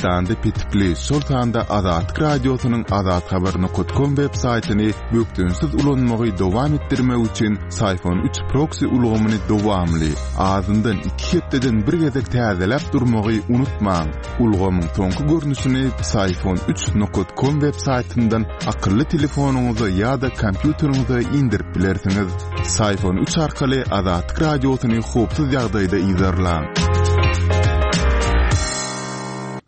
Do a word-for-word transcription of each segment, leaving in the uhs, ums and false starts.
Türkmenistanda petikli, şol sanda Azatlyk Radiosynyň azathabar nokat kom web saýtyny bökdençsiz ulanmagy dowam etdirmek üçin Syfon üç proksi ulgamyny dowamly, azyndan iki hepdeden bir gezek täzeläp durmagy unutmaň. Ulgamyň soňky görnüşini Syfon üç nokat kom web saýtyndan akylly telefonyňyza ýa-da kompýuteriňize indirip bilersiňiz. Syfon üç arkaly Azatlyk Radiosyny howpsuz ýagdaýda yzarlaň.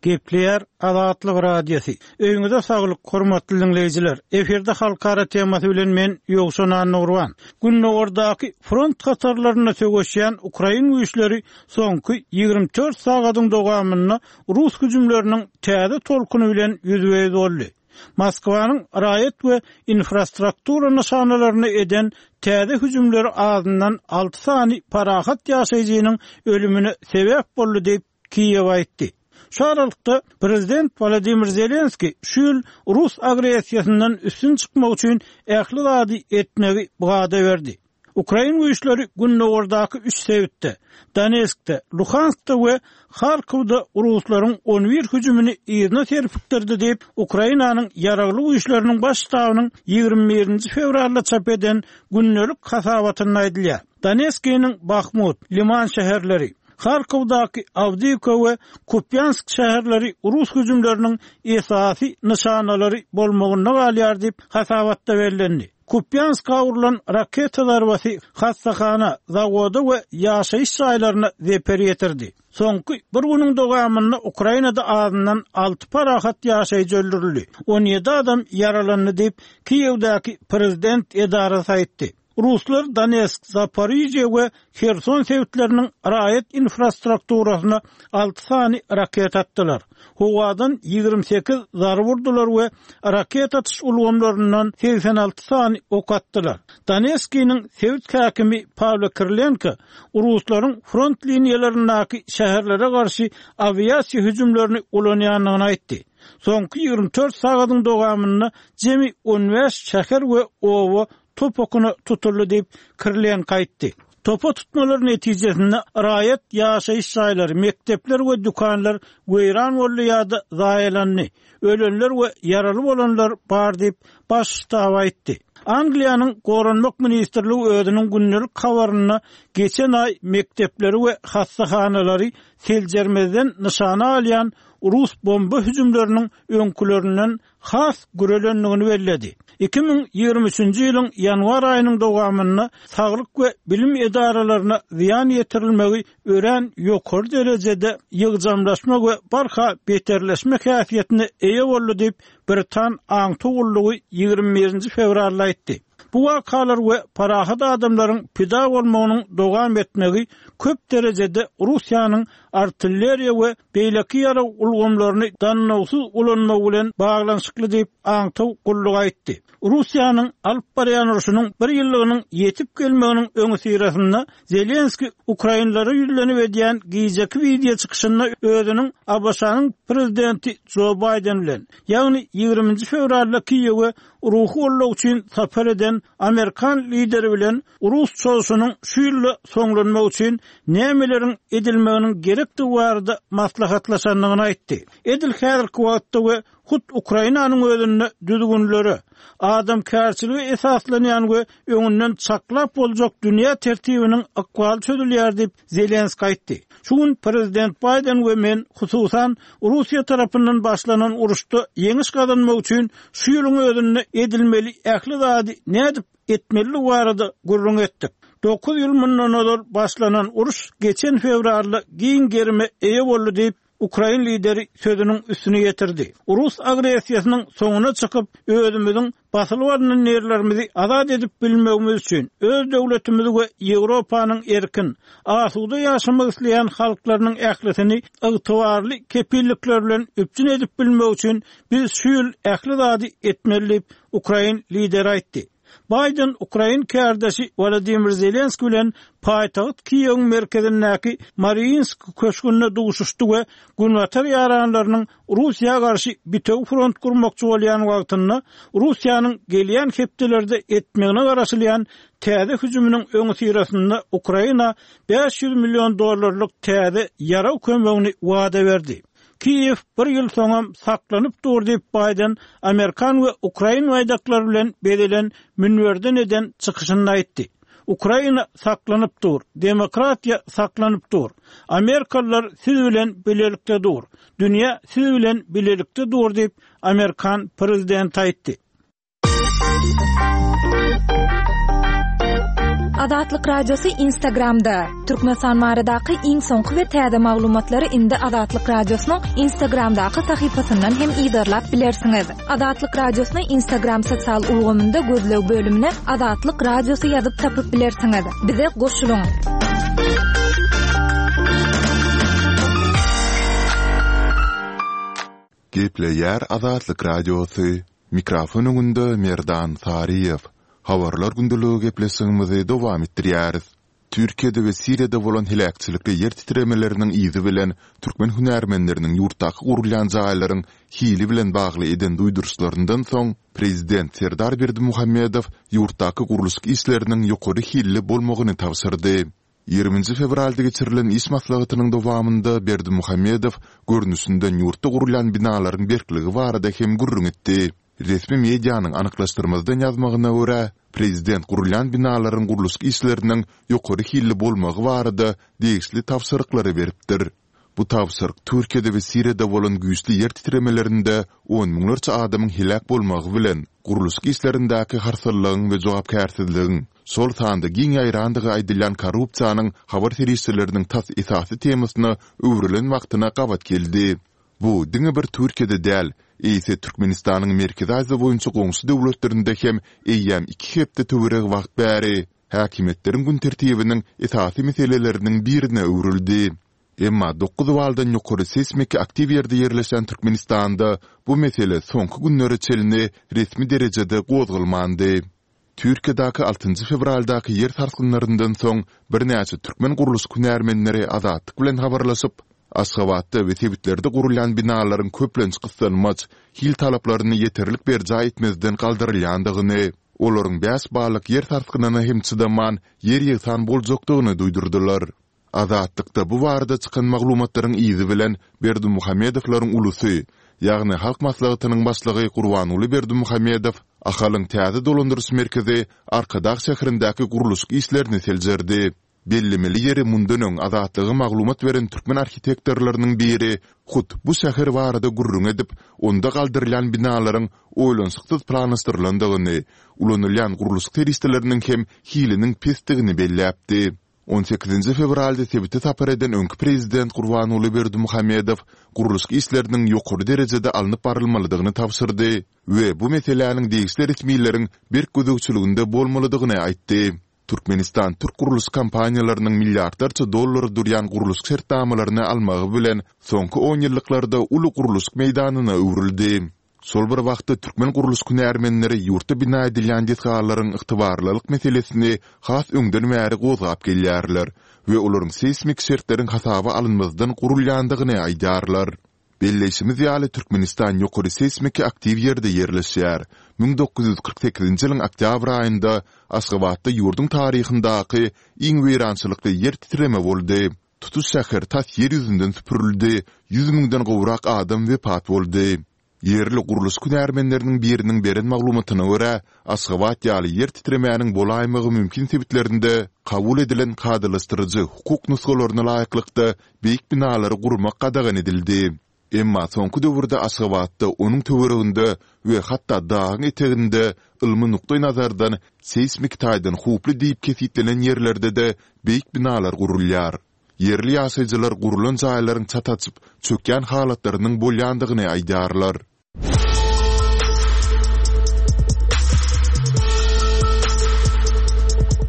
Gepleýär Azatlyk Radiosy. Öýüňize saglyk, hormatly dinleýjiler. Efirde halkara temasy bilen men Ýowşan Annagurban. Gündogardaky front hatarlarynda söweşýän ukrain güýçleri soňky ýigrimi dört sagadyň dowamynda rus hüjümleriniň täze tolkuny bilen ýüzbe-ýüz boldy. Moskwanyň raýat we infrastruktura nyşanalaryny eden täze hüjümleri azyndan alty sany parahat ýaşaýjynyň ölümine sebäp boldy diýip Kiýew aýtdy. Şu aralykda prezident Wladimir Zelenski şu ýyl rus agressiýasyndan üstün çykmak üçin ähli zady etmegi wada berdi. Ukrain güýçleri gündogardaky üç sebitde, Donetskde, Luhanskda we Harkowda ruslaryň on bir hüjümini yzyna serpikdirdi diýip, Ukrainanyň ýaragly güýçleriniň baş ştabynyň ýigrimi birinji fewralda çap eden gündelik hasabatynda aýdylýar. Donetskiniň Bahmut, Liman şäherleri, Harkowdaky Awdiýewka we Kupýansk şäherleri rus hüjümleriniň esasy nyşanalary bolmagynda galýar diýip, hasabatda bellendi. Kupýanska urlan raketa zarbasy hassahana, zawoda we ýaşaýyş jaýlaryna zeper ýetirdi. Soňky bir günüň dowamynda Ukrainada azyndan alty parahat ýaşaýjy öldürildi. on ýedi adam ýaralandy diýip, Kiýewdäki prezident edarasy aýtdy. Ruslar Donetsk, Zaporižýa we Herson sebitleriniň raýat infrastrukturasyna alty sany raket atdylar. Howadan ýigrimi sekiz zarba urdular we raket atyş ulgamlaryndan segsen alty sany ok atdylar. Donetskiniň sebit häkimi Pawlo Kirilenko ruslaryň front liniýalaryndaky şäherlere garşy awiasiýa hüjümlerini ulanýandygyny aýtdy. Soňky ýigrimi dört sagadyň dowamynda jemi on bäş şäher we oba top okuna tutuldy diýip Kirilenko aýtdy. Topa tutmalar netijesinde raýat ýaşaýyş jaýlary, mekdepler we dükanlar weýran boldy ýa-da zaýalandy. Ölenler we ýaraly bolanlar bar diýip baş ştab aýtdy. Angliýanyň Goranmak ministrligi özüniň gündelik habarynda geçen aý mekdepleri we hassahanalary seljermezden nyşana alýan rus bomba hüjümleriniň öňkülerinden has gürelendigini belledi. iki müň ýigrimi üçünji ýylyň ýanwar aýynyň dowamynda saglyk we bilim edaralaryna zyýan ýetirilmegi örän ýokary derejede ýygjamlaşma we barha beterleşme häsiýetine eýe boldy diýip Britan aňtaw gullugy ýigrimi birinji fewralda aýtdy. Bu wakalar we parahat adamlaryň pida bolmagynyň dowam etmegi köp derejede Russiýanyň artilleriýa we beýleki ýarag ulgamlaryny dannawsyz ulanmagy bilen baglanyşykly diýip aňtaw gullugy aýtdy. Russiýanyň alyp barýan urşunyň bir ýyllygynyň ýetip gelmeginiň öňüsyrasynda Zelenski Ukrainlere ýüzlenip edýän gijeki wideo çykyşynda özüniň A B Ş-nyň prezidenti Joe Biden bilen, ýagny ýigriminji fewralda Kiýewe ruhy goldaw üçin sapar eden Amerikan lideri bilen Rus çozuşynyň şu ýylda soňlanmak üçin nämeleriň edilmeginiň gerekdigi barada maslahatlaşandygyny aýtdy. Edil häzirki wagtda we hut Ukrainanyň özünde düzgünlere, adamkärçilige esaslanýan we öňünden çaklap boljak dünýä tertibiniň ykbaly çözülýär diýip Zelenski aýtdy. Şu gün prezident Biden we men hususan Russiýa tarapyndan başlanan uruşda ýeňiş gazanmak üçin şu ýylyň özünde edilmeli ähli zady nädip etmeli barada gürrüň etdik. Dokuz ýyl mundan ozal başlanan uruş geçen fewralda giň gerime eýe boldy diýip Ukrain lideri sözüniň üstüne ýetirdi. Rus agressiýasynyň soňuna çykyp, özümiziň basylyp alynan ýerlerimizi azat edip bilmegimiz üçin öz döwletimizi we Ýewropanyň erkin, asuda ýaşamak isleýän halklarynyň ählisini ygtybarly kepillikler bilen üpjün edip bilmek üçin biz şu ýyl ähli zady etmeli diýip Ukrain lideri aýtdy. Biden Ukrain kärdeşi Wladimir Zelenski bilen paýtagt Kiýewiň merkezindäki Mariinsk köşgünde duşuşdy we Günbatar ýaranlarynyň Russiýa garşy bitewi front gurmakçy bolýan wagtynda Russiýanyň gelýän hepdelerde etmegine garaşylýan täze hüjüminiň öňüsyrasynda Ukraina bäş ýüz million dollarlyk täze ýarag kömegini wada berdi. Kiýew bir ýyl soňam saklanyp dur diýip Baýden Amerikan we Ukrain baýdaklary bilen bezelen münberden eden çykyşynda aýtdy. Ukraina saklanyp dur, demokratiýa saklanyp dur. Amerikalylar siz bilen bilelikde dur. Dünýä siz bilen bilelikde dur diýip Amerikan prezidenti aýtdy. Azatlyk Radiosy Instagramda. Türkmenistan baradaky iň soňky we täze maglumatlary indi Azatlyk Radiosynyň Instagramdaky sahypasyndan hem yzarlap bilersiňiz. Azatlyk Radiosyny Instagram sosial ulgamynda gözleg bölümine Azatlyk Radiosy ýazyp tapyp bilersiňiz. Bize goşulyň. Gepleýär Azatlyk Radiosy. Mikrofon öňünde Merdan Saryýew. Habarlar gündeligi gepleşigimizi dowam etdirýäris. Türkiýede we Siriýada bolan heläkçilikli ýer titremeleriniň yzy bilen türkmen hünärmenleriniň ýurtdaky gurulýan jaýlaryň hili bilen bagly eden duýduryşlaryndan soň, prezident Serdar Berdimuhamedow ýurtdaky gurluşyk işleriniň ýokary hilli bolmagyny tabşyrdy. Ýigriminji fewralda geçirilen iş maslahatynyň dowamynda Berdimuhamedow görnüşinden ýurtda gurulýan binalaryň berkligi barada hem gürrüň etdi. Resmi medianyň anyklaşdyrmazdan ýazmagyna görä, prezident gurulýan binalaryň gurluşyk işleriniň ýokary hilli bolmagy barada degişli tabşyryklary beripdir. Bu tabşyryk Türkiýede we Siriýada bolan güýçli ýer titremelerinde on müňlerçe adamyň heläk bolmagy bilen, gurluşyk işlerindäki harsallygyň we jogapkärsizligiň, şol sanda giň ýaýrandygy aýdylýan korrupsiýanyň habar serişdeleriniň tas esasy temasyna öwrülen wagtyna gabat geldi. Bu diňe bir Türkiýede däl, eýse Türkmenistanyň Merkezi Aziýa boýunça goňşy döwletlerinde hem eýýäm iki hepde töweregi wagt bäri häkimiýetleriň gün tertibiniň esasy meseleleriniň birine öwrüldi. Emma dokuz baldan ýokary seýsmiki aktiw ýerde ýerleşen Türkmenistanda bu mesele soňky günlere çenli resmi derejede gozgalmandy. Türkiýedäki altynjy fewraldaky ýer sarsgynlaryndan soň birnäçe türkmen gurluşyk hünärmenleri Azatlyk bilen habarlaşyp, Aşgabatda we sebitlerde gurulýan binalaryň köplenç gyssanmaç, hil talaplaryny ýeterlik berjaý etmezden galdyrylýandygyny, olaryň bäş ballyk ýer sarsgynyna hem çydaman ýer-ýegsan boljakdygyny duýdurdylar. Azatlykda bu barada çykan maglumatlaryň yzy bilen Berdimuhamedowlaryň ulusy, ýagny Halk Maslahatynyň başlygy Gurbanguly Berdimuhamedow Ahalyň täze dolandyryş merkezi Arkadag şäherindäki gurluşyk işlerini seljerdi. Bellemeli ýeri mundan öň Azatlyga maglumat beren türkmen arhitektorlarynyň biri hut bu şäher barada gürrüň edip, onda galdyrylýan binalaryň oýlanyşyksyz planlaşdyrylandygyny, ulanylýan gurluşyk serişdeleriniň hem hiliniň pesdigini belläpdi. On sekizinji fewralda sebite sapar eden öňki prezident Gurbanguly Berdimuhamedow gurluşyk işleriniň ýokary derejede alnyp barylmalydygyny tabşyrdy we bu meseläniň degişli resmileriň berk gözegçiliginde bolmalydygyny aýtdy. Türkmenistan türk gurluşyk kompaniýalarynyň milliardlarça dollara durýan gurluşyk şertnamalaryny almagy bilen soňky onýyllyklarda uly gurluşyk meýdanyna öwrüldi. Şol bir wagtda türkmen gurluşyk hünärmenleri ýurtda bina edilýän desgalaryň ygtybarlylyk meselesini has öňden bäri gozgap gelýärler we olaryň seýsmik şertleriň hasaba alynmazdan gurulýandygyny aýdýarlar. Belleýşimiz ýaly, Türkmenistan ýokary seýsmiki aktiw ýerde ýerleşýär. Müň dokuz ýüz kyrk sekizinji ýylyň oktýabr aýynda Aşgabatda ýurduň taryhyndaky iň weýrançylykly ýer titreme boldy. Tutuş şäher tas ýer ýüzünden süpürildi, ýüz müňden gowrak adam wepat boldy. Ýerli gurluşyk hünärmenleriniň biriniň beren maglumatyna görä, Aşgabat ýaly ýer titremäniň bolaýmagy mümkin sebitlerinde kabul edilen kadalaşdyryjy hukuk nusgalaryna laýyklykda beýik binalary gurmak gadagan edildi. Emma soňky döwürde Aşgabatda, onuň töwereginde we hatda dagyň eteginde ylmy nukdaýnazardan seýsmik taýdan howply diýip kesgitlenen ýerlerde-de beýik binalar gurulýar. Ýerli ýaşaýjylar gurlan jaýlaryň çat açyp, çökýän halatlarynyň bolýandygyny aýdýarlar.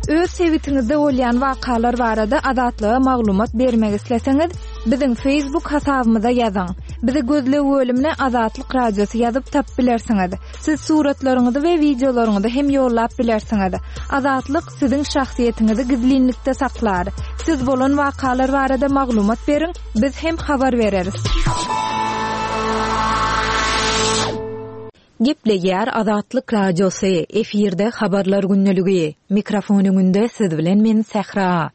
Öz sebitiňizde bolýan wakalar barada Azatlyga maglumat bermek isleseňiz, biziň Facebook hasabymyza ýazyň. Bizi gözleg bölümine Azatlyk Radiosy ýazyp tapyp bilersiňiz. Siz suratlaryňyzy we wideolaryňyzy hem ýollap bilersiňiz. Azatlyk siziň şahsyýetiňizi gizlinlikde saklar. Siz bolan wakalar barada maglumat beriň, biz hem habar bereris. Gepleýär Azatlyk Radiosy, efirde Habarlar gündeligi. Mikrofon öňünde siz bilen men Sähra.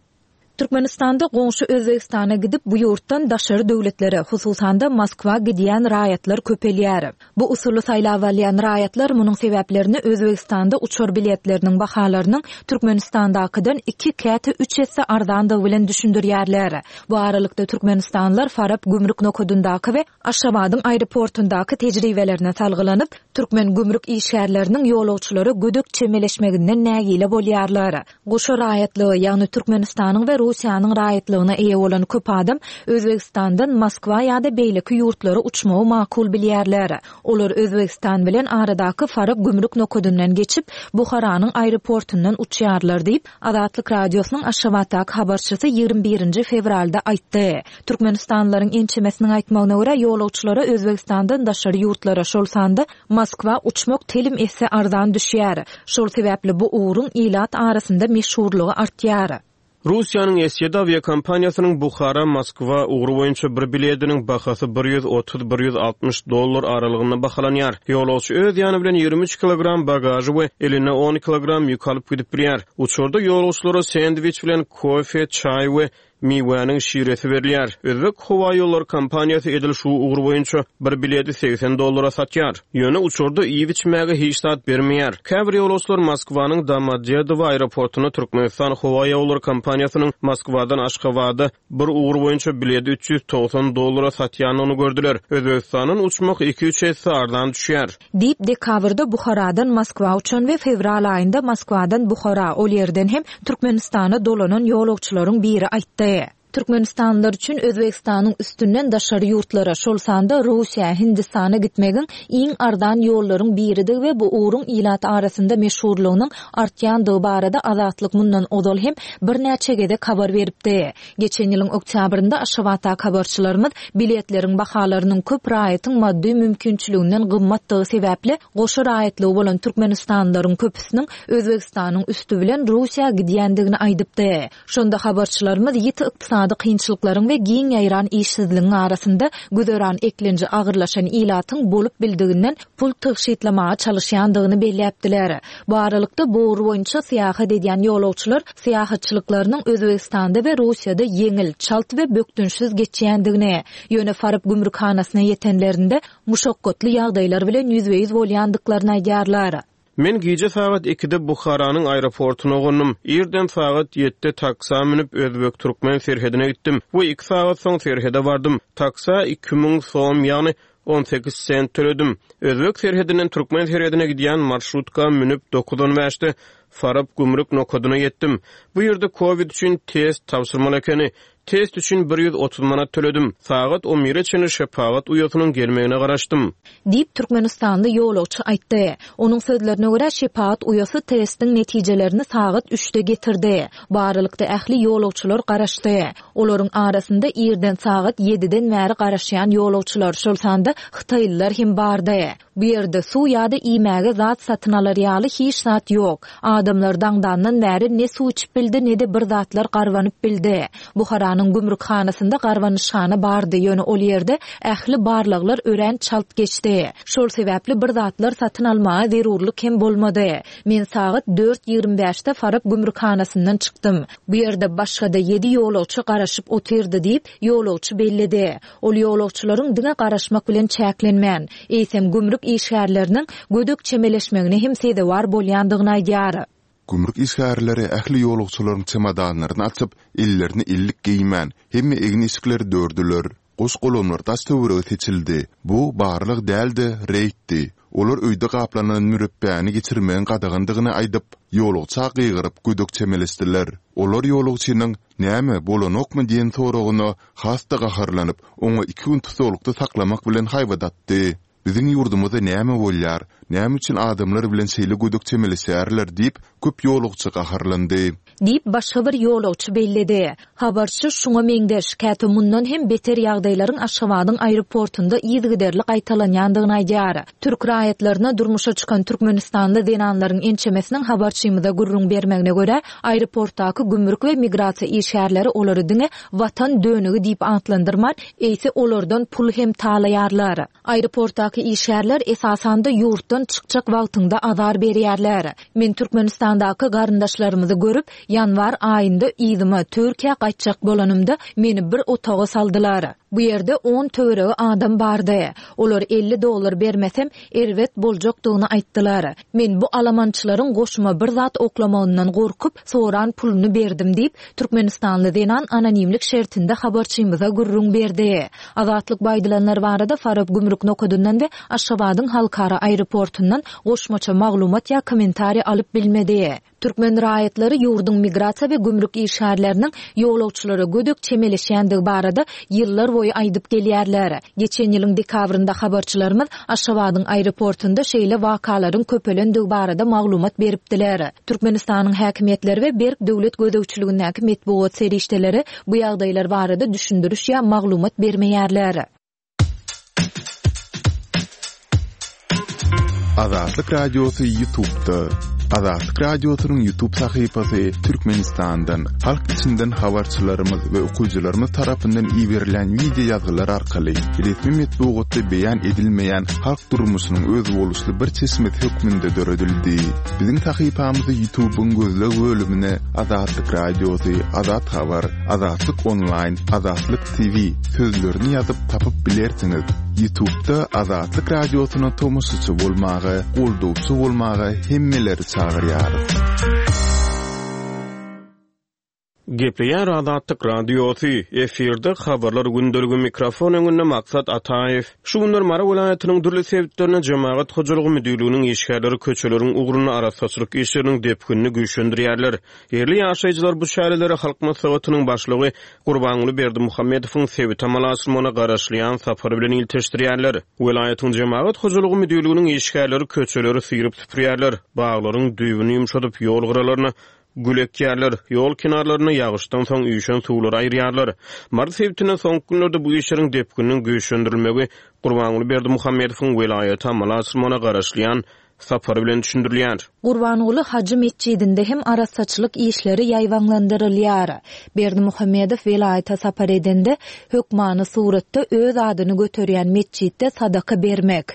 Türkmenistanda goňşy Özbegistana gidip, bu ýurtdan daşary döwletlere, hususan-da Moskwa gidýän raýatlar köpelýär. Bu usuly saýlap alýan raýatlar munuň sebäplerini Özbegistanda uçar biletleriniň bahalarynyň Türkmenistandakydan iki, käte üç esse arzandygy bilen düşündirýärler. Bu aralykda türkmenistanlylar Farap gümrük nokadyndaky we Aşgabadyň aeroportundaky tejribelerine salgylanyp, türkmen gümrük işgärleriniň ýolagçylara gödek çemeleşmeginden nägile bolýarlar. Goşa raýatlygy, ýagny Türkmenistanyň we Russiýanyň raýatlygyna eýe bolan köp adam Özbegistandan Moskwa ýa-da beýleki ýurtlara uçmagy makul bilýärler. Olar Özbegistan bilen aradaky Farap gümrük nokadyndan geçip, Buharanyň aeroportundan uçýarlar diýip, Azatlyk Radiosynyň Aşgabatdaky habarçysy ýigrimi birinji fewralda aýtdy. Türkmenistanlylaryň ençemesiniň aýtmagyna görä, ýolagçylara Özbegistandan daşary ýurtlara, şol sanda Moskwa uçmak telim esse arzan düşýär. Şol sebäpli bu ugruň ilat arasynda meşhurlygy artýar. Russiýanyň S ýedi awiakompaniýasynyň Buhara, Moskwa ugry boýunça bir biletiniň bahasy bir ýüz otuz, bir ýüz altmyş dollar aralygynda bahalanýar. Ýolagçy öz ýany bilen ýigrimi üç kilogram bagažy we eline on kilogram ýük alyp gidip bilýär. Uçarda ýolagçylara sendwiç bilen kofe, çaý we miwäniň şiresi berilýär. Özbek howa ýollary kompaniýasy edil şu ugur boýunça bir bileti segsen dollara satýar. Ýöne uçarda iýip içmäge hiç zat bermeýär. Käbir ýolagçylar Moskwanyň Domodedowo aeroportuna Türkmenistan howa ýollary kompaniýasynyň Moskwadan Aşgabada bir ugur boýunça bileti üç ýüz togsan dollara satýandygyny gördüler. Özbegistandan uçmak iki-üç esse arzan düşýär. Diýip, dekabrda Buharadan Moskwa uçan we fewral aýynda Moskwadan Buhara, ol ýerden hem Türkmenistana dolanan ýolagçylaryň biri aýtdy. Türkmenistanlylar üçin Özbegistanyň üstünden daşary ýurtlara, şol sanda Russiýa, Hindistana gitmegiň iň arzan ýollaryň biridigi we bu ugruň ilat arasynda meşhurlygynyň artýandygy barada Azatlyk mundan ozal hem birnäçe gezek habar beripdi. Geçen ýylyň oktýabrynda Aşgabatdaky habarçylarymyz biletleriň bahalarynyň köp raýatyň maddy mümkinçiliginden gymmatdygy sebäpli goşa raýatlygy bolan türkmenistanlylaryň köpüsiniň Özbegistanyň üsti bilen Russiýa gidýändigini aýdypdy. Şonda habarçylarymyz ýiti ykdysady kynçylyklaryň we giň ýaýran işsizligiň arasynda güzeran eklenji agyrlaşan ilatyň bolup bildiginden pul tygşytlamaga çalyşýandygyny belläpdiler. Bu aralykda bu ugur boýunça syýahat edýän ýolagçylar syýahatçylyklarynyň Özbegistanda we Russiýada ýeňil, çalt we bökdençsiz geçýändigini, ýöne Farap gümrükhanasyna ýetenlerinde muşakgatly ýagdaýlar bilen ýüzbe-ýüz bolýandyklaryny aýdýarlar. Men gije sagat ikide Buharanyň aeroportuna gondum. Irden sagat ýedide taksa münüp Özbek-Türkmen serhedine gitdim we iki sagat soň serhede bardym. Taksa iki müň som, ýagny on sekiz sent töledim. Özbek serhedinden Türkmen serhedine gidýän marşrutka münüp dokuz on bäşde Farap gümrük nokadyna ýetdim. Bu ýerde Covid üçin test tabşyrmaly ekeni. Test üçin bir ýüz otuz manat töledim. Sagat on bire çenli şepagat uýasynyň gelmegine garaşdym. Diýip, Türkmenistanly ýolagçy aýtdy. Onuň sözlerine görä, şepagat uýasy testiň netijelerini sagat üçde getirdi. Bu aralykda ähli ýolagçylar garaşdy. Olaryň arasynda irden sagat ýediden bäri garaşýan ýolagçylar, şol sanda hytaýlylar hem bardy. Bu ýerde suw ýa-da iýmäge zat satyn alar ýaly hiç zat ýok. Adamlar daňdandan bäri ne suw içip bildi, ne-de bir zatlar garbanyp bildi. Buharanyň gümrükhanasynda garbanyşhana bardy, ýöne ol ýerde ähli barlaglar örän çalt geçdi. Şol sebäpli bir zatlar satyn almaga zerurlyk hem bolmady. Men sagat dört ýigrimi bäşde Farap gümrükhanasyndan çykdym. Bu ýerde başga-da ýedi ýolagçy garaşyp otyrdy diýip, ýolagçy belledi. Ol ýolagçylaryň diňe garaşmak bilen çäklenmän, eýsem gümrük işgärleriniň gödek çemeleşmegine hem sezewar bolýandygyny aýdýar. Gümrük işgärleri ähli ýolagçylaryň çemodanlaryny açyp, ellerini ellik geýmän, hemme egin-eşikleri dördüler. Goş golamlar daş töwerege seçildi. Bu barlyk däldi, reýtdi. Olar öýde gaplanan mürepbäni geçirmegiň gadagandygyny aýdyp, ýolagça gygyryp gödek çemeleşdiler. Olar ýolagçynyň näme bolanokmy diýen soragyna has-da gaharlanyp, oňa iki gün tutuklykda saklamak bilen haýbat atdy. Biziň ýurdumyzda näme bolýar, näme üçin adamlar bilen şeýle gödek çemeleşýärler diýip, köp ýolagçy gaharlandy. Diýip, başga bir ýolagçy belledi. Habarçy şuňa meňzeş, käte mundan hem beter ýagdaýlaryň Aşgabadyň aeroportunda yzygiderli gaýtalanýandygyny aýdýar. Türk raýatlaryna durmuşa çykan Türkmenistanly zenanlaryň ençemesiniň habarçymyza gürrüň bermegine görä, aeroportdaky gümrük we migrasiýa işgärleri olary diňe watan dönügi diýip atlandyrman, eýse olardan pul hem talaýarlar. Aeroportdaky işgärler esasanda ýurtdan Otagdan çykjak wagtyňda azar berýärler. Men Türkmenistandaky garyndaşlarymyzy görüp, ýanwar aýynda yzyma, Türkiýä gaýtjak bolanymda, meni bir otaga saldylar. Bu ýerde on töweregi adam bardy. Olar elli dollar bermesem, erbet boljakdygyny aýtdylar. Men bu alamançylaryň goşuma bir zat oklamagyndan gorkup, soran puluny berdim diýip, türkmenistanly zenan anonimlik şertinde habarçymyza gürrüň berdi. Azatlyk bu aýdylanlar barada Farap gümrük nokadyndan we Aşgabadyň halkara aeroportundan goşmaça maglumat ýa kommentariý alyp bilmedi. Türkmen raýatlary ýurduň migrasiýa we gümrük işgärleriniň ýolagçylara gödek çemeleşýändigi barada ýyllar boýy aýdyp gelýärler. Geçen ýylyň dekabrynda habarçylarymyz Aşgabadyň aeroportunda şeýle wakalaryň köpelendigi barada maglumat beripdiler. Türkmenistanyň häkimiýetleri we berk döwlet gözegçiligindäki metbugat serişdeleri bu ýagdaýlar barada düşündiriş ýa maglumat bermeýärler. Azatlyk Radiosy YouTube'da. Azatlyk Radiosynyň YouTube sahypasy Türkmenistandan, halk içinden habarçylarymyz we okyjylarymyz tarapyndan iberilen wideo ýazgylar arkaly resmi metbugatda beýan edilmeýän halk durmuşynyň özboluşly bir çeşmesi hökmünde döredildi. Biziň sahypamyzy YouTube'yň gözleg bölümine Azatlyk Radiosy, Azat Habar, Azatlyk Online, Azatlyk T V sözlerini ýazyp tapyp bilersiňiz. YouTube'da Azatlyk Radiosyna tomaşaçy bolmaga, goldawçy bolmaga hemmeleri çagyrýarys. Gepleýär Azatlyk Radiosy, efirde habarlar gündeligi, mikrofon öňünde Maksat Ataýew. Şu günler Mary welaýatynyň dürli sebitlerinde Jemagat hojalygy müdirliginiň işgärleri köçeleriň ugrunda arassaçylyk işleriniň depginini güýçlendirýärler. Ýerli ýaşaýjylar bu çärelere Halk Maslahatynyň başlygy Gurbanguly Berdimuhamedowyň sebit amala aşyrmagyna garaşylýan sapary bilen ilteşdirýärler. Welaýatyň Jemagat hojalygy müdirliginiň işgärleri köçeleri syryp süpürýärler, baglaryň düýbüni ýumşadyp ýol gyralaryna gül ekýärler, ýol kenarlaryna ýagyşdan soň üýşen suwlary aýyrýarlar. Mary sebitinde soňky günlerde bu işleriň depgininiň güýçlendirilmegi Gurbanguly Berdimuhamedowyň welaýata amala aşyrmagyna garaşylýan sapary bilen düşündirilýär. Gurbanguly Hajy metjidinde hem arassaçylyk işleri ýaýbaňlandyrylýar. Berdimuhamedow welaýata sapar edende hökmany suratda öz adyny göterýän metjitde sadaka bermek,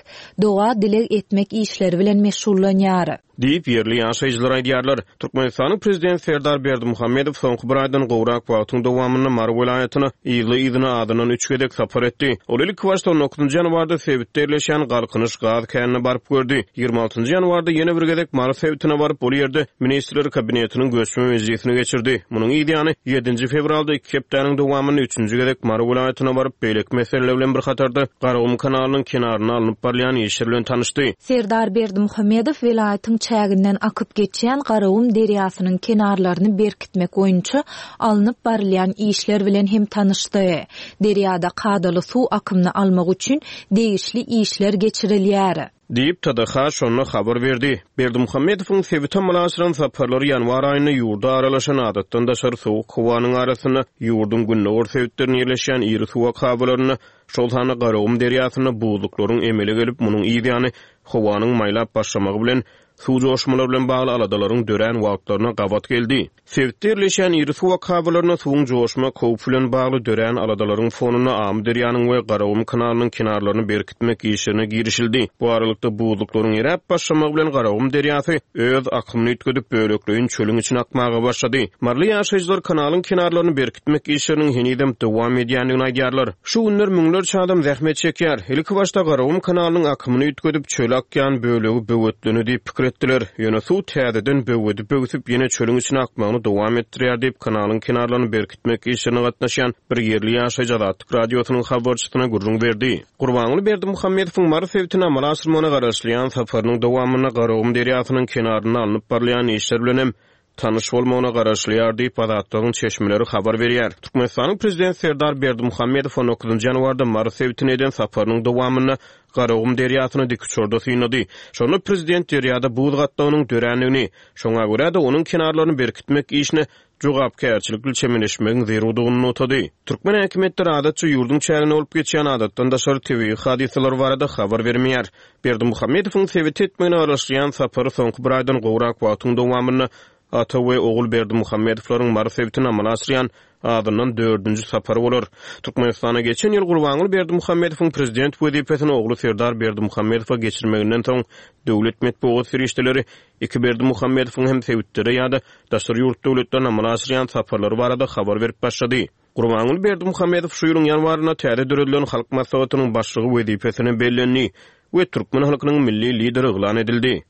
doga dileg etmek işleri bilen meşgullanýar. Diýip ýerli ýaşaýjylar aýdýarlar. Türkmenistanyň prezidenti Serdar Berdimuhamedow soňky bir aýdan gowrak wagtyň dowamynda Mary welaýatyna yzly-yzyna adyndan üç gezek sapar etdi. Ol ilki başda on dokuzynjy ýanwarda sebitde ýerleşen Galkynyş gaz känine baryp gördi. Ýigrimi altynjy ýanwarda ýene bir gezek Mary sebitine baryp, ol ýerde Ministrler Kabinetiniň göçme mejlisini geçirdi. Munuň ýany ýedinji fewralda iki hepdäniň dowamynda üçünji gezek Mary welaýatyna baryp, beýleki meseleler bilen bir hatarda Garagum kanalynyň kenaryna alnyp barylýan işler bilen tanyşdy. Serdar Berdimuhamedow welaýatyň çäginden akyp geçýän Garagum derýasynyň kenarlaryny berkitmek boýunça alnyp barylýan işler bilen hem tanyşdy. Derýada kadaly suw akymyny almak üçin degişli işler geçirilýär. Diýip T D H şonda habar berdi. Berdimuhamedowyň sebite amala aşyran saparlary ýanwar aýynda ýurda aralaşan adatdan daşary sowuk howanyň arasynda ýurduň gündogar sebitlerinde ýerleşýän iri suw akabalarynda, şol sanda Garagum derýasynda buzluklaryň emele gelip, munuň ýany howanyň maýlap başlamagy bilen suw joşmalar bilen bagly aladalaryň dörän wagtlaryna gabat geldi. Sebitde ýerleşýän iri suw akabalarynda suwuň joşma howpy bilen bagly dörän aladalaryň fonunda Amy derýanyň we Garagum kanalynyň kenarlaryny berkitmek işlerine girişildi. Bu aralykda buzluklaryň eräp başlamagy bilen Garagum derýasy öz akymyny üýtgedip bölekleýin çölüň içine akmaga başlady. Maryly ýaşaýjylar kanalyň kenarlaryny berkitmek işleriniň henizem dowam edýändigini aýdýarlar. Şu günler müňlerçe adam zähmet çekýär. Ilki başda Garagum kanalynyň akymyny üýtgedip çöle akýan bölegi böwetleni diýip pikir etdiler. Ýöne suw täzeden böwedi böwsüp ýene çölüň içine akmagyny dowam etdirýär diýip kanalyň kenarlaryny berkitmek işlerine gatnaşýan bir ýerli ýaşaýjy Azatlyk Radiosynyň habarçysyna gürrüň berdi. Gurbanguly Berdimuhamedowyň Mary sebitine amala aşyrmagyna garaşylýan saparynyň dowamynda Garagum derýasynyň kenarynda alnyp barylýan işler bilen hem tanyş bolmagyna garaşylýar diýip Azatlygyň çeşmeleri habar berýär. Türkmenistanyň prezidenti Serdar Berdimuhamedow on dokuzynjy ýanwarda Mary sebitine eden saparynyň dowamynda Garagum derýasyny dikuçarda synlady. Şonda prezident derýada buz gatlagynyň dörändigini, şoňa görä-de onuň kenarlaryny berkitmek işine jogapkärçilikli çemeleşmegiň zerurdygyny nygtady. Türkmen häkimiýetleri adatça ýurduň çäginde bolup geçýän adatdan daşary tebigy hadysalar barada habar bermeýär. Berdimuhamedowyň sebite etmegine garaşylýan sapary soňky bir aýdan gowrak wagtyň dowamynda ata we ogul Berdimuhamedowlaryň Mary sebitine amala aşyrýan azyndan dördünji sapary bolar. Türkmenistana geçen ýyl Gurbanguly Berdimuhamedowyň prezident wezipesini ogly Serdar Berdimuhamedowa geçirmeginden soň döwlet metbugat serişdeleri iki Berdimuhamedowyň hem sebitlere ýa-da daşary ýurt döwletlerine amala aşyrýan saparlary barada habar berip başlady. Gurbanguly Berdimuhamedow şu ýylyň ýanwarynda täze döredilen Halk Maslahatynyň başlygy wezipesine bellendi we türkmen halkynyň milli lideri yglan edildi.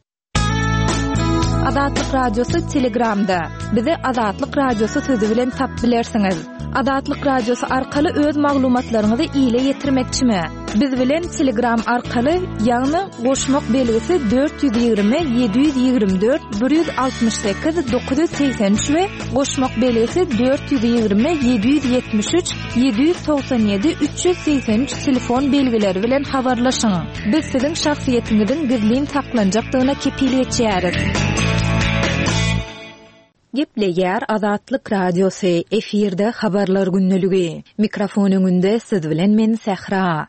Azatlyk Radiosy Telegramda. Bizi Azatlyk Radiosy sözi bilen tapyp bilersiňiz. Azatlyk Radiosy arkaly öz maglumatlaryňyzy ile ýetirmekçimi? Biz bilen Telegram arkaly, ýagny goşmak belgisi dört ýüz ýigrimi ýedi ýüz ýigrimi dört bir ýüz altmyş sekiz dokuz ýüz segsen üç we goşmak belgisi dört ýüz ýigrimi ýedi ýüz ýetmiş üç ýedi ýüz togsan ýedi üç ýüz segsen üç telefon belgileri bilen habarlaşyň. Biz siziň şahsyýetiňiziň gizlin saklanjakdygyna kepil geçýäris. Gepleýär Azatlyk Radiosy, efirde habarlar gündeligi. Mikrofon öňünde siz bilen men Sähra.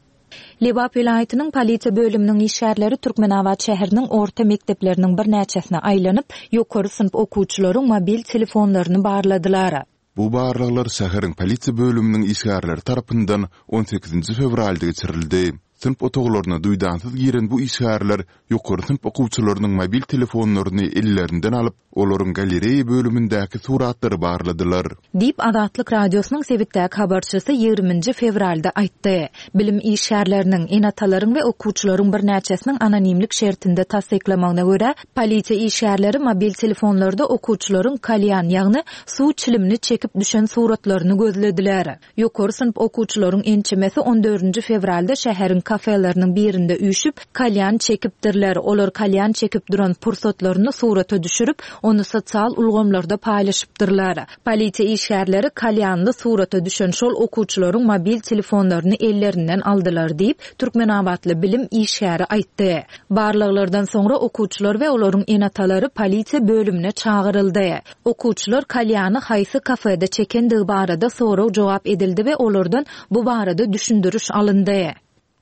Lebap welaýatynyň polisiýa bölüminiň işgärleri Türkmenabat şäheriniň orta mekdepleriniň birnäçesine aýlanyp, ýokary synp okuwçylaryň mobil telefonlaryny barladylar. Bu barlaglar şäheriň polisiýa bölüminiň işgärleri tarapyndan on sekizinji fewralda geçirildi. Synp otaglaryna duýdansyz giren bu işgärler ýokary synp okuwçylarynyň mobil telefonlaryny ellerinden alyp, olaryň galereýa bölümindäki suratlary barladylar. Diýip, Azatlyk Radiosynyň sebitdäki habarçysy ýigriminji fewralda aýtdy. Bilim işgärleriniň, ene-atalaryň we okuwçylaryň birnäçesiniň anonimlik şertinde tassyklamagyna görä, polisiýa işgärleri mobil telefonlarda okuwçylaryň kalýan, ýagny suw çilimini çekip düşen suratlaryny gözlediler. Ýokary synp okuwçylaryň ençemesi on dördünji fewralda şäheriň kafeleriniň birinde üýşüp, kalýan çekipdirler. Olar kalýan çekip duran pursatlaryny surata düşürip, ony sosial ulgamlarda paýlaşypdyrlar. Polisiýa işgärleri kalýanly surata düşen şol okuwçylaryň mobil telefonlaryny ellerinden aldylar diýip, Türkmenabatly bilim işgäri aýtdy. Barlaglardan soňra okuwçylar we olaryň ene-atalary polisiýa bölümine çagyryldy. Okuwçylar kalýany haýsy kafede çekendigi barada sorag-jogap edildi we olardan bu barada düşündiriş alyndy.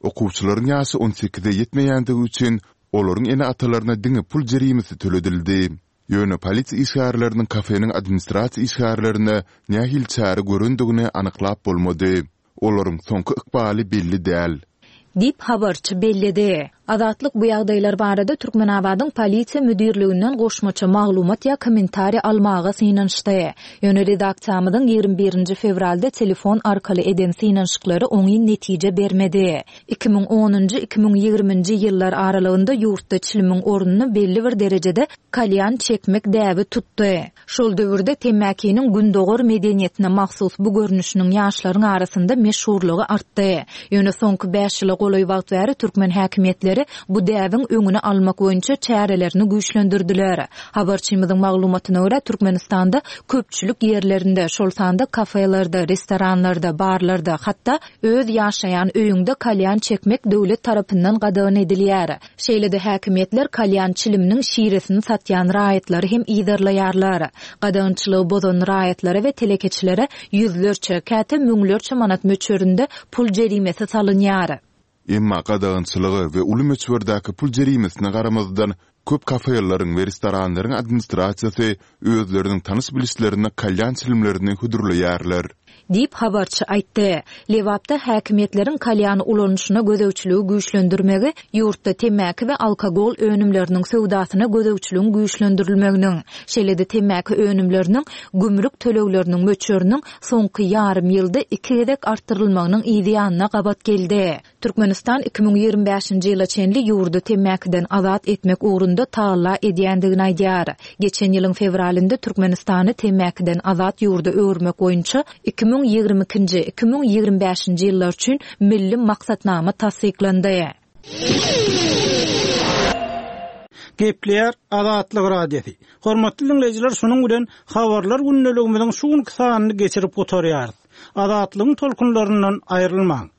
Okuwçylaryň ýaşy on sekize ýetmeýändigi üçin olaryň ene-atalaryna diňe pul jerimesi töledildi. Ýöne polisiýa işgärleriniň kafeniň administrasiýa işgärlerine nähili çäre görendigini anyklap bolmady. Olaryň soňky ykbaly belli däl. Diýip habarçy belledi. Azatlyk bu ýagdaýlar barada Türkmenabadyň polisiýa müdirliginden goşmaça maglumat ýa kommentariýa almaga synanyşdy. Ýöne redaksiýamyzyň ýigrimi birinji fewralda telefon arkaly eden synanyşyklary oňyn netije bermedi. Iki müň onunjy, iki müň ýigriminji ýyllar aralygynda ýurtda çilimiň ornuny belli bir derejede kalýan çekmek däbi tutdy. Şol döwürde temmäkiniň gündogar medeniýetine mahsus bu görnüşiniň ýaşlaryň arasynda meşhurlygy artdy. Ýöne soňky bäş ýyla golaý wagt bäri türkmen häkimiýetleri bu däbiň öňüni almak boýunça çärelerini güýçlendirdiler. Habarçymyzyň maglumatyna görä Türkmenistanda köpçülik ýerlerinde, şol sanda kafelerde, restoranlarda, barlarda, hatda öz ýaşaýan öýüňde kalýan çekmek döwlet tarapyndan gadagan edilýär. Şeýle-de häkimiýetler kalýan çiliminiň şiresini satýan raýatlary hem yzarlaýarlar. Gadagançylygy bozan raýatlara we telekeçilere ýüzlerçe, käte müňlerçe manat möçberinde pul jerimesi salynýar. Emma gadagançylyga we uly möçberdäki pul jerimesine garamazdan köp kafeleriň we restoranlaryň administrasiýasy özleriniň tanyş bilişlerine kalýan çilimlerini hödürleýärler. Diýip habarçy aýtdy. Lebapda häkimiýetleriň kalýan ulanyşyna gözegçiligi güýçlendirmegi, ýurtda temmäki we alkogol önümleriniň söwdasyna gözegçiligiň güýçlendirilmeginiň, şeýle-de temmäki önümleriniň gümrük tölegleriniň möçberiniň soňky ýarym ýylda iki gezek artdyrylmagynyň yzy ýanyna gabat geldi. Türkmenistan iki müň ýigrimi bäşinji ýyla çenli ýurdy temmäkiden azat etmek ugrunda tagalla edýändigini aýdýar. Geçen ýylyň fewralynda Türkmenistany temmäkiden azat ýurda öwürmek boýunça iki müň ýigrimi ikinji, iki müň ýigrimi bäşinji ýyllar üçin milli maksatnama tassyklandy. Gepleýär Azatlyk Radiosy. Hormatly dinleýjiler, şunuň bilen habarlar gündeligimiziň şu günki sanyny geçirip gutarýarys. Azatlygyň tolkunlaryndan aýrylmaň.